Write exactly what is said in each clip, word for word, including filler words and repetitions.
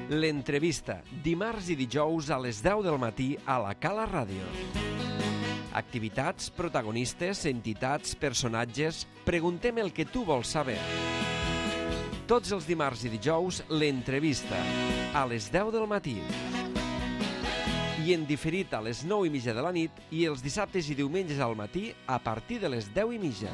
L'entrevista, dimarts i dijous a les deu del matí a la Cala Ràdio. Activitats, protagonistes, entitats, personatges... Preguntem el que tu vols saber. Tots els dimarts i dijous, l'entrevista, a les deu del matí. I en diferit a les nou i mitja de la nit i els dissabtes i diumenges al matí a partir de les deu i mitja.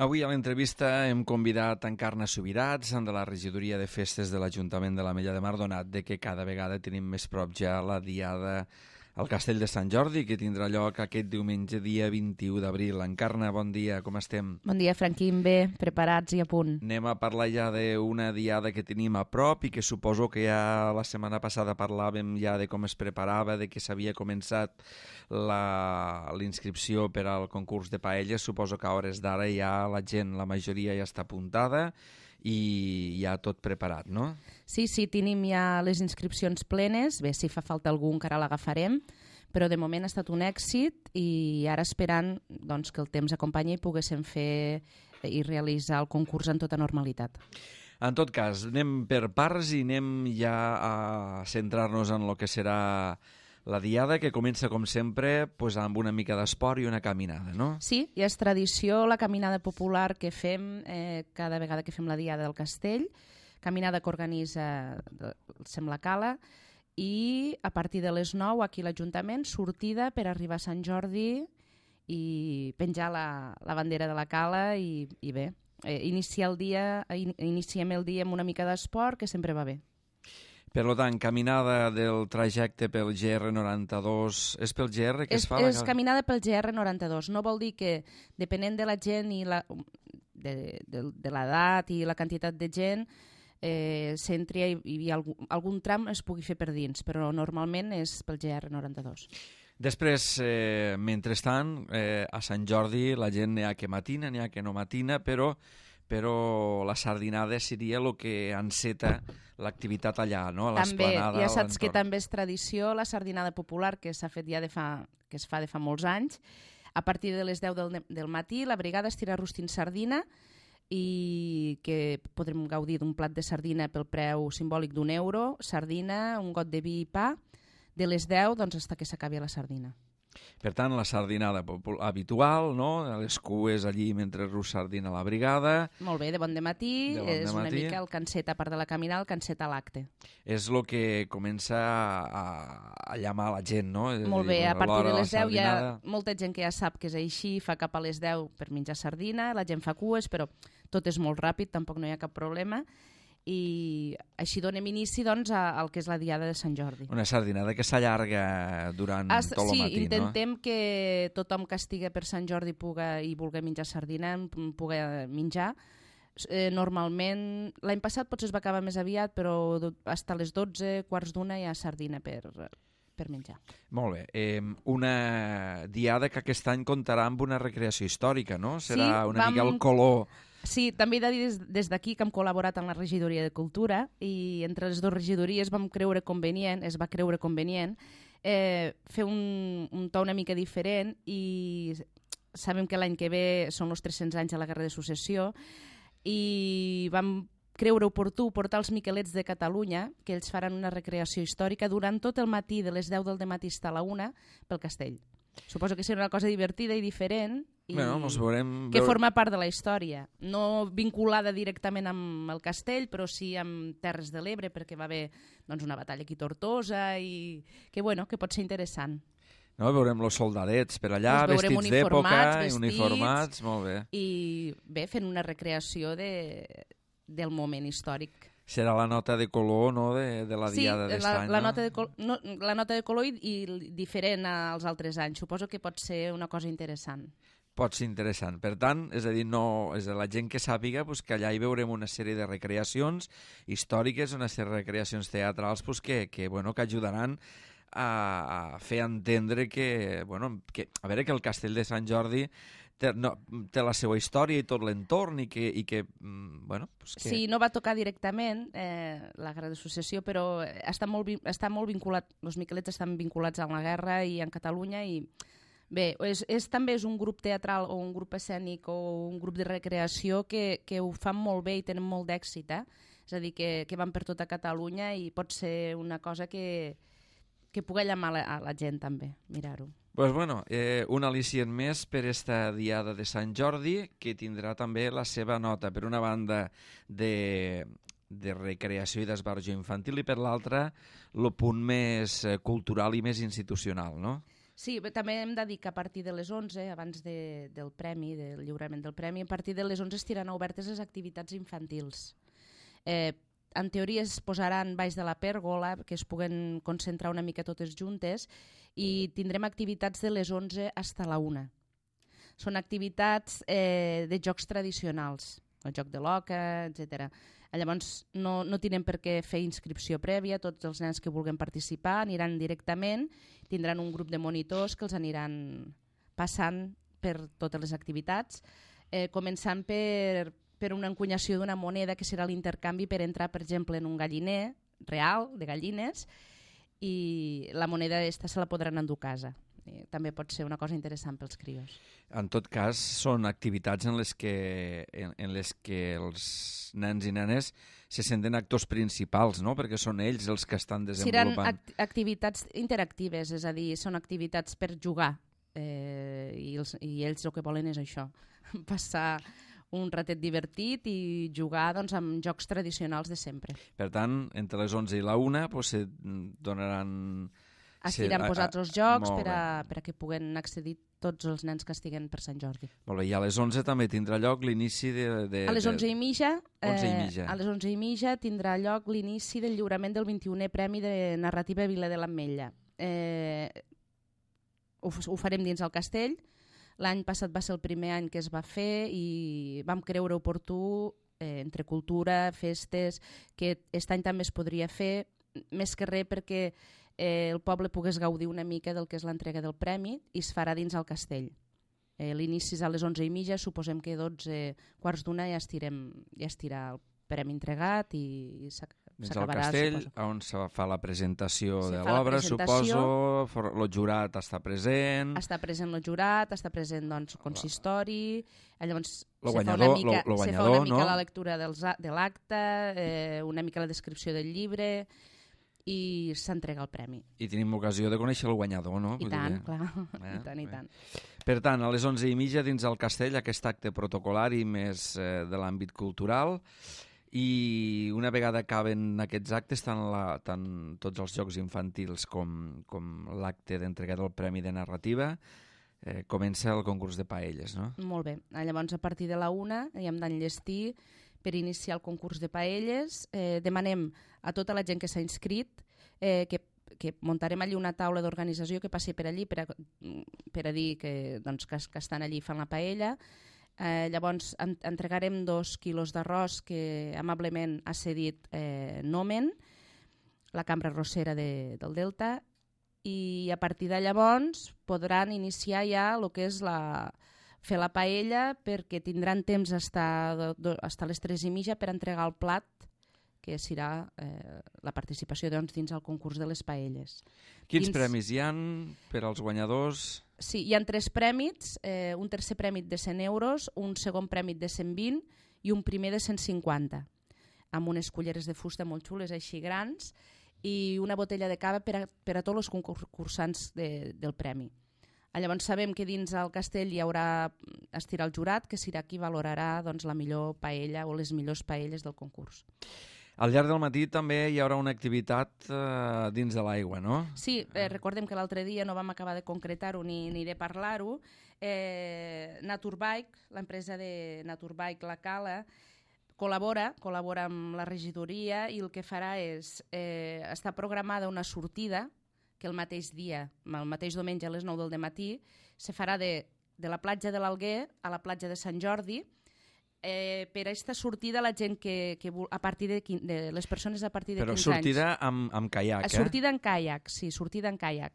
Avui a l'entrevista hem convidat Encarna Subirats, de la regidoria de festes de l'Ajuntament de l'Ametlla de Mar, donat de que cada vegada tenim més prop ja la diada al Castell de Sant Jordi, que tindrà lloc aquest diumenge, dia vint-i-u d'abril. Encarna, bon dia, com estem? Bon dia, Franquín, bé, preparats i a punt. Anem a parlar ja d'una diada que tenim a prop i que suposo que ja la setmana passada parlàvem ja de com es preparava, de que s'havia començat la inscripció per al concurs de paelles. Suposo que a hores d'ara ja la gent, la majoria ja està apuntada i ja tot preparat, no? Sí, sí, tenim ja les inscripcions plenes. Bé, si fa falta algú encara l'agafarem, però de moment ha estat un èxit i ara esperant doncs, que el temps acompanyi i poguéssim fer i realitzar el concurs en tota normalitat. En tot cas, anem per parts i anem ja a centrar-nos en el que serà la diada, que comença, com sempre, pues, amb una mica d'esport i una caminada, no? Sí, ja és tradició la caminada popular que fem eh, cada vegada que fem la diada del castell, caminada que organitza Sembla Cala, i a partir de les nou aquí a l'Ajuntament, sortida per arribar a Sant Jordi i penjar la, la bandera de la Cala i, i bé, eh, iniciar el dia, in, iniciem el dia amb una mica d'esport, que sempre va bé. Per tant, caminada del trajecte pel G R noranta-dos... És pel G R que és, es fa? És la... caminada pel G R noranta-dos. No vol dir que, depenent de la gent i la, de, de, de l'edat i la quantitat de gent, eh, s'entri i, i algun, algun tram es pugui fer per dins, però normalment és pel G R noranta-dos. Després, eh, mentrestant, eh, a Sant Jordi la gent n'hi ha que matina, n'hi ha que no matina, però... però la sardinada seria el que enceta l'activitat allà, no? A l'esplanada. També, ja saps que també és tradició la sardinada popular, que s'ha fet ja de fa, que es fa de fa molts anys. A partir de les deu del, del matí la brigada estira rostint sardina i que podrem gaudir d'un plat de sardina pel preu simbòlic d'un euro, sardina, un got de vi i pa, de les deu doncs, fins que s'acabi la sardina. Per tant, la sardinada habitual, no? Les cues allí mentre rus sardina a la brigada. Molt bé, de bon dematí, de bon és dematí. Una mica el cancet, a part de la caminada, el cancet a l'acte. És el que comença a, a llamar la gent, no? Molt bé, a partir de les deu hi ha molta gent que ja sap que és així, fa cap a les deu per menjar sardina, la gent fa cues, però tot és molt ràpid, tampoc no hi ha cap problema. I així donem inici doncs, al que és la diada de Sant Jordi. Una sardinada que s'allarga durant As, tot el sí, matí, no? Sí, intentem que tothom que estigui per Sant Jordi puga, i vulgui menjar sardina, pugui menjar. Eh, normalment, l'any passat potser es va acabar més aviat, però fins a les dotze, quarts d'una hi ha sardina per... per menjar. Molt bé. Eh, una diada que aquest any comptarà amb una recreació històrica, no? Serà sí, una vam... mica el color... Sí, també he de dir des, des d'aquí que hem col·laborat amb la regidoria de Cultura i entre les dues regidories vam creure convenient, es va creure convenient, eh, fer un, un to una mica diferent i sabem que l'any que ve són els tres-cents anys de la Guerra de Successió i vam creure oportú portar els Miquelets de Catalunya, que ells faran una recreació històrica durant tot el matí, de les deu del matí fins a la una, pel castell. Suposo que serà una cosa divertida i diferent i bueno, ens veurem... que forma part de la història. No vinculada directament amb el castell, però sí amb Terres de l'Ebre, perquè va haver doncs, una batalla aquí a Tortosa i que, bueno, que pot ser interessant. No, veurem els soldadets per allà, vestits d'època, uniformats, molt bé. I bé, fent una recreació de, del moment històric. Serà la nota de color, no?, de, de la diada sí, d'est la, any, la no? Nota de col no? La nota de color i, i diferent als altres anys. Suposo que pot ser una cosa interessant. Pot ser interessant. Per tant, és a dir, no, és a la gent que sàpiga pues, que allà hi veurem una sèrie de recreacions històriques, una sèrie de recreacions teatrals pues, que, que, bueno, que ajudaran a, a fer entendre que, bueno, que, a veure, que el Castell de Sant Jordi té, no, té la seva història i tot l'entorn i que... I que bueno, pues que... Sí, no va tocar directament eh, la Guerra de Successió, però està molt, està molt vinculat, els Miquelets estan vinculats a la guerra i en Catalunya i bé, és, és, també és un grup teatral o un grup escènic o un grup de recreació que, que ho fan molt bé i tenen molt d'èxit, eh? És a dir, que, que van per tota Catalunya i pot ser una cosa que, que pugui llamar a la gent també, mirar-ho. Pues bueno, eh, un al·licient més per esta diada de Sant Jordi, que tindrà també la seva nota, per una banda de, de recreació i d'esbarjo infantil i per l'altra el punt més cultural i més institucional, no? Sí, també hem de dir que a partir de les onze, abans de, del premi, del lliurament del premi, a partir de les onze estiran obertes les activitats infantils. Eh, en teoria es posaran baix de la pèrgola, que es puguen concentrar una mica totes juntes, i tindrem activitats de les onze fins a la una. Són activitats eh, de jocs tradicionals, el joc de l'oca, etcètera. Llavors no, no tindrem per què fer inscripció prèvia, tots els nens que vulguin participar aniran directament, tindran un grup de monitors que els aniran passant per totes les activitats, eh, començant per, per una encunyació d'una moneda que serà l'intercanvi per entrar, per exemple, en un galliner real de gallines, i la moneda aquesta se la podran endur a casa. I també pot ser una cosa interessant pels crios. En tot cas, són activitats en les que, en, en les que els nens i nenes se senten actors principals, no? Perquè són ells els que estan desenvolupant. Seran act activitats interactives, és a dir, són activitats per jugar, eh, i, els, i ells el que volen és això, passar un ratet divertit i jugar doncs, amb jocs tradicionals de sempre. Per tant, entre les onze i la una pues, se donaran... Estiran sí, posats els jocs per a, per a que puguen accedir tots els nens que estiguen per Sant Jordi. Molt bé, i a les onze també tindrà lloc l'inici de, de... A les onze i mitja, onze i mitja. Eh, a les onze i mitja tindrà lloc l'inici del lliurament del vint-i-unè Premi de Narrativa Vila de l'Ametlla. Eh, ho, ho farem dins el castell. L'any passat va ser el primer any que es va fer i vam creure oportú, eh, entre cultura, festes, que aquest any també es podria fer, més que res perquè eh, el poble pogués gaudir una mica del que és l'entrega del premi i es farà dins el castell. Eh, L'inici és a les onze i mitja, suposem que dotze quarts d'una ja, estirem, ja estirà el premi entregat i, i s'acabarà. Dins el castell, suposo. On se fa la presentació se de l'obra, suposo, el jurat està present... Està present el jurat, està present doncs, el consistori, llavors lo se guanyador, fa una mica, lo, lo se guanyador, fa una mica no? la lectura dels, de l'acte, eh, una mica la descripció del llibre i s'entrega el premi. I tenim ocasió de conèixer el guanyador, no? I Vull tant, dir, clar, eh? i tant, i tant. Per tant, a les onze i mitja dins el castell aquest acte protocolari més eh, de l'àmbit cultural, i una vegada acaben aquests actes, tant, la, tant tots els jocs infantils com, com l'acte d'entrega del Premi de Narrativa, eh, comença el concurs de paelles, no? Molt bé. Llavors, a partir de la una, ja hem d'enllestir per iniciar el concurs de paelles. Eh, demanem a tota la gent que s'ha inscrit eh, que, que muntarem allí una taula d'organització que passi per allí per a, per a dir que, doncs, que, que estan allí fan la paella. Eh, llavors en, entregarem dos quilos d'arròs que amablement ha cedit eh, Nomen, la cambra arrossera de, del Delta, i a partir de llavors podran iniciar ja el que és la, fer la paella, perquè tindran temps fins a les tres i mitja per entregar el plat, que serà eh, la participació doncs, dins el concurs de les paelles. Quins dins... premis hi han per als guanyadors? Sí, hi ha tres prèmits, eh, un tercer prèmit de cent euros, un segon prèmit de cent vint i un primer de cent cinquanta, amb unes culleres de fusta molt xules, així grans, i una botella de cava per a, per a tots els concursants de, del premi. Llavors sabem que dins el castell hi haurà estirar el jurat, que serà qui valorarà doncs, la millor paella o les millors paelles del concurs. Al llarg del matí també hi haurà una activitat eh, dins de l'aigua, no? Sí, eh, recordem que l'altre dia no vam acabar de concretar-ho ni, ni de parlar-ho. Eh, Naturbike, l'empresa de Naturbike La Cala, col·labora, col·labora amb la regidoria i el que farà és, eh, està programada una sortida que el mateix dia, el mateix diumenge a les nou del matí, se farà de, de la platja de l'Alguer a la platja de Sant Jordi. Eh, per a aquesta sortida la gent que, que a partir de, de les persones a partir de Però quinze anys... Però sortida amb, amb caiac, eh? Sortida en caiac, sí, sortida en caiac.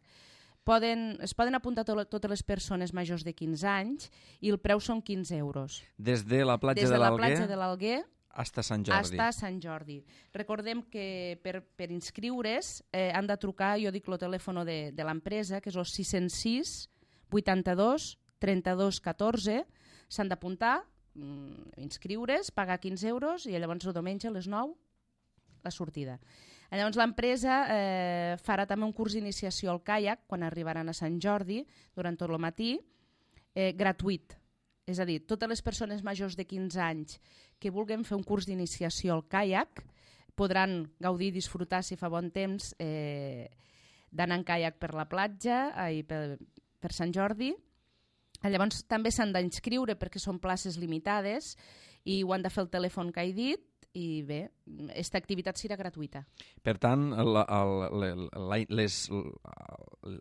Poden, es poden apuntar to totes les persones majors de quinze anys i el preu són quinze euros. Des de la platja Des de l'Alguer? Des de la platja de l'Alguer hasta Sant Jordi. Hasta Sant Jordi. Recordem que per, per inscriure's eh, han de trucar, jo dic el telèfon de, de l'empresa, que és el sis zero sis, vuitanta-dos, trenta-dos, catorze. S'han d'apuntar, inscriure's, pagar quinze euros i llavors el diumenge a les nou la sortida. Llavors l'empresa eh, farà també un curs d'iniciació al caiac quan arribaran a Sant Jordi durant tot el matí, eh, gratuït. És a dir, totes les persones majors de quinze anys que vulguin fer un curs d'iniciació al caiac podran gaudir i disfrutar, si fa bon temps, eh, d'anar en caiac per la platja i per, per Sant Jordi. Llavors també s'han d'inscriure perquè són places limitades i ho han de fer el telèfon que he dit i bé, aquesta activitat serà gratuïta. Per tant, la, la, la, les,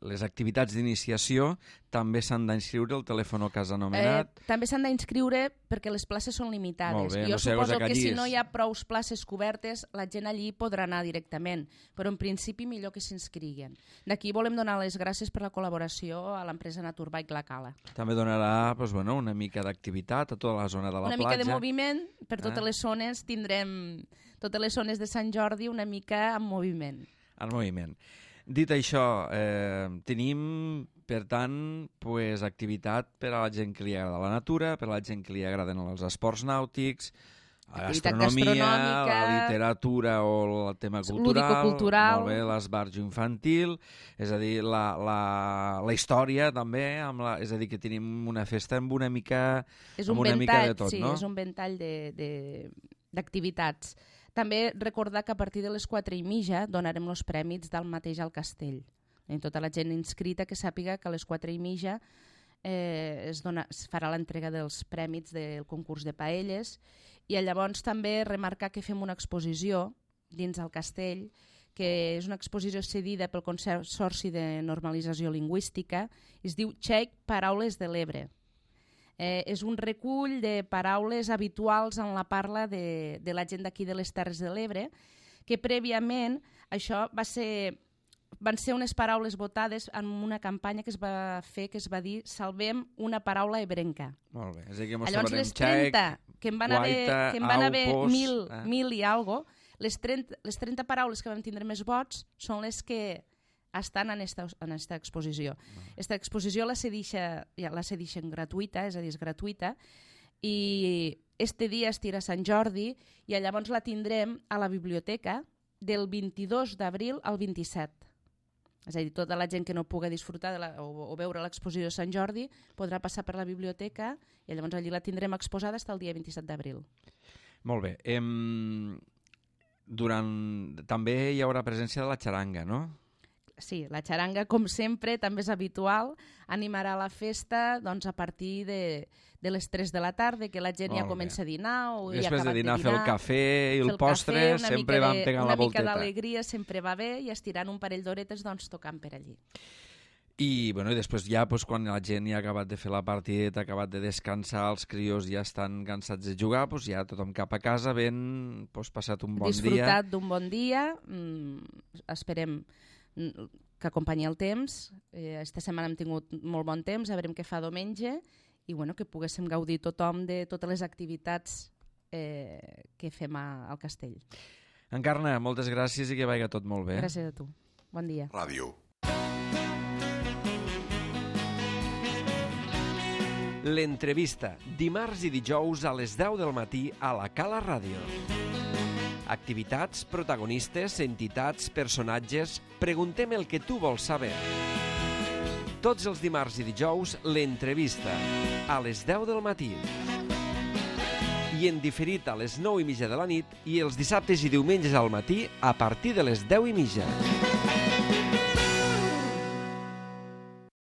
les activitats d'iniciació també s'han d'inscriure al telèfon que has anomenat? Eh, també s'han d'inscriure perquè les places són limitades. Molt bé, jo no sé, suposo que, que si no hi ha prous places cobertes, la gent allí podrà anar directament, però en principi millor que s'inscriguen. D'aquí volem donar les gràcies per la col·laboració a l'empresa Naturbike La Cala. També donarà pues, bueno, una mica d'activitat a tota la zona de la una platja. Una mica de moviment, per totes eh? les zones tindrem totes les zones de Sant Jordi una mica en moviment. En moviment. Dit això, eh, tenim, per tant, pues, activitat per a la gent que li agrada la natura, per a la gent que li agraden els esports nàutics, la gastronomia, la literatura o el tema cultural, molt bé, l'esbarjo infantil, és a dir, la, la, la història també, amb la, és a dir, que tenim una festa amb una mica, és un amb una ventall, mica de tot, sí, no? És un ventall d'activitats. També recordar que a partir de les quatre i mitja donarem els prèmits del mateix al castell. I tota la gent inscrita que sàpiga que a les quatre i mitja eh, es, dona, es farà l'entrega dels prèmits del concurs de paelles i llavors també remarcar que fem una exposició dins el castell que és una exposició cedida pel Consorci de Normalització Lingüística, es diu Txec Paraules de l'Ebre. Eh, és un recull de paraules habituals en la parla de, de la gent d'aquí de les Terres de l'Ebre, que prèviament això va ser, van ser unes paraules votades en una campanya que es va fer, que es va dir Salvem una paraula ebrenca. Molt bé, és a dir, que mos llavors trobarem les trenta, xec, que en van haver, guaita, que en van au, haver pos, mil, eh? mil i algo, les trenta, les trenta paraules que vam tindre més vots són les que estan en esta, en esta exposició. Aquesta exposició la cedixen, ja la cedixen gratuïta, és a dir, és gratuïta, i este dia es tira a Sant Jordi i llavors la tindrem a la biblioteca del vint-i-dos d'abril al vint-i-set. És a dir, tota la gent que no pugui disfrutar de la, o, o veure l'exposició de Sant Jordi podrà passar per la biblioteca i llavors allí la tindrem exposada fins al dia vint-i-set d'abril. Molt bé. Em... Durant... També hi haurà presència de la xaranga, no? Sí, la xaranga, com sempre, també és habitual, animarà la festa doncs, a partir de, de les tres de la tarda, que la gent Molt ja comença bé. a dinar o ja ha acabat de dinar. Després de dinar, fer el cafè i el postre, cafè, sempre van pegant la volteta. Una mica d'alegria sempre va bé i estirant un parell d'horetes doncs, tocant per allí. I, bueno, i després ja, pues, quan la gent ja ha acabat de fer la partideta, ha acabat de descansar, els crios ja estan cansats de jugar, pues, ja tothom cap a casa, ben pues, passat un bon Disfrutat dia. Disfrutat d'un bon dia, mm, esperem que acompanyi el temps. Eh, esta setmana hem tingut molt bon temps, a veurem què fa diumenge i bueno, que poguéssim gaudir tothom de totes les activitats eh, que fem a, al castell. Encarna, moltes gràcies i que vagi tot molt bé. Gràcies a tu. Bon dia. Ràdio. L'entrevista, dimarts i dijous a les deu del matí a la Cala Ràdio. Activitats, protagonistes, entitats, personatges... Preguntem el que tu vols saber. Tots els dimarts i dijous, l'entrevista, a les deu del matí. I en diferit a les nou i mitja de la nit i els dissabtes i diumenges al matí a partir de les deu i mitja.